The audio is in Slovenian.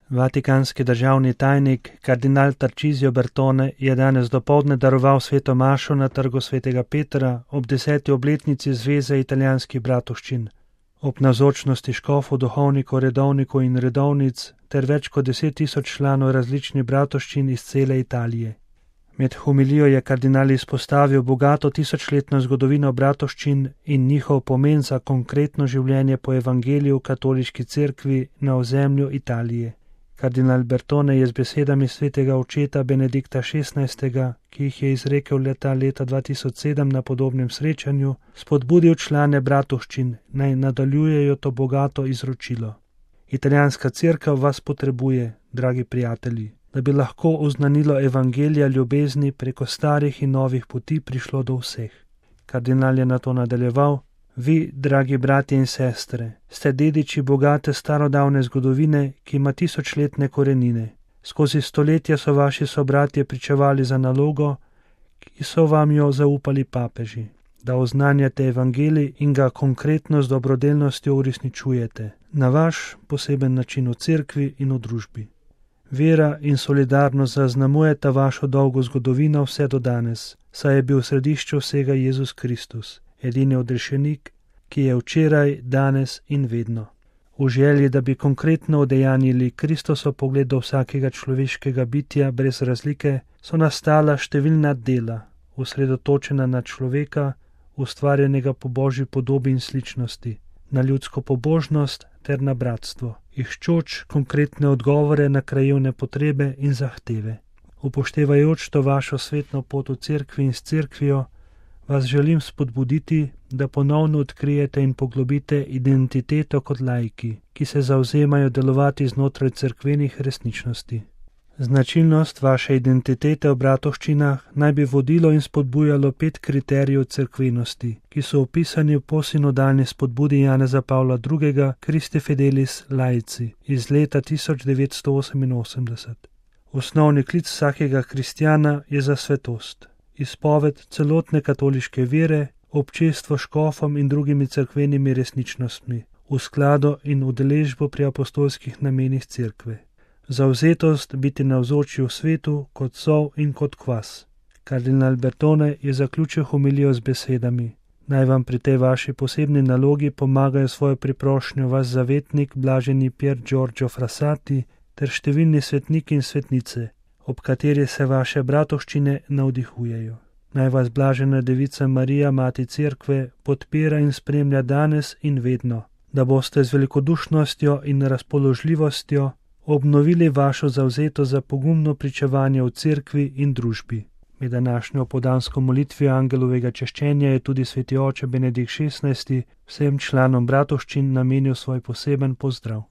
Vatikanski državni tajnik kardinal Tarcisio Bertone je danes dopoldne daroval sveto mašo na trgu svetega Petra ob 10. obletnici Zveze italijanskih bratovščin. Ob navzočnosti škofov, duhovnikov, redovnikov in redovnic ter več kot 10.000 članov različnih bratovščin iz cele Italije. Med homilijo je kardinal izpostavil bogato tisočletno zgodovino bratovščin in njihov pomen za konkretno življenje po evangeliju v katoliški cerkvi na ozemlju Italije. Kardinal Bertone je z besedami svetega očeta Benedikta XVI., ki jih je izrekel leta 2007 na podobnem srečanju, spodbudil člane bratovščin, naj nadaljujejo to bogato izročilo. Italijanska cerkev vas potrebuje, dragi prijatelji, da bi lahko oznanilo evangelija ljubezni preko starih in novih poti prišlo do vseh. Kardinal je nato nadaljeval: Vi, dragi bratje in sestre, ste dediči bogate starodavne zgodovine, ki ima tisočletne korenine. Skozi stoletja so vaši sobratje pričevali za nalogo, ki so vam jo zaupali papeži, da oznanjate evangelij in ga konkretno z dobrodelnostjo uresničujete, na vaš poseben način v cerkvi in v družbi. Vera in solidarnost zaznamujeta vašo dolgo zgodovino vse do danes, saj je bil v središču vsega Jezus Kristus, edini odrešenik, ki je včeraj, danes in vedno. V želji, da bi konkretno udejanjili Kristosov pogled do vsakega človeškega bitja brez razlike, so nastala številna dela, osredotočena na človeka, ustvarjenega po Božji podobi in sličnosti, na ljudsko pobožnost ter na bratstvo, iščoč konkretne odgovore na krajevne potrebe in zahteve. Upoštevajoč to vašo svetno pot v cerkvi in s cerkvijo, vas želim spodbuditi, da ponovno odkrijete in poglobite identiteto kot laiki, ki se zavzemajo delovati znotraj cerkvenih resničnosti. Značilnost vaše identitete v bratovščinah naj bi vodilo in spodbujalo 5 kriterijev cerkvenosti, ki so opisani v posinodalni spodbudi Janeza Pavla II. Christi Fidelis Laici iz leta 1988. Osnovni klic vsakega kristjana je za svetost, izpoved celotne katoliške vere, občestvo škofom in drugimi cerkvenimi resničnostmi, v skladu in udeležbo pri apostolskih namenih cerkve. Zavzetost biti navzoči v svetu kot sol in kot kvas. Kardinal Bertone je zaključil homilijo z besedami: Naj vam pri tej vaši posebni nalogi pomagajo svojo priprošnjo vaš zavetnik, blaženi Pier Giorgio Frassati, ter številni svetniki in svetnice, ob kateri se vaše bratovščine navdihujejo. Naj vas blažena Devica Marija, Mati Cerkve, podpira in spremlja danes in vedno, da boste z velikodušnostjo in razpoložljivostjo obnovili vašo zavzetost za pogumno pričevanje v cerkvi in družbi. Med današnjo podansko molitvijo angelovega češčenja je tudi sveti oče Benedikt XVI vsem članom bratovščin namenil svoj poseben pozdrav.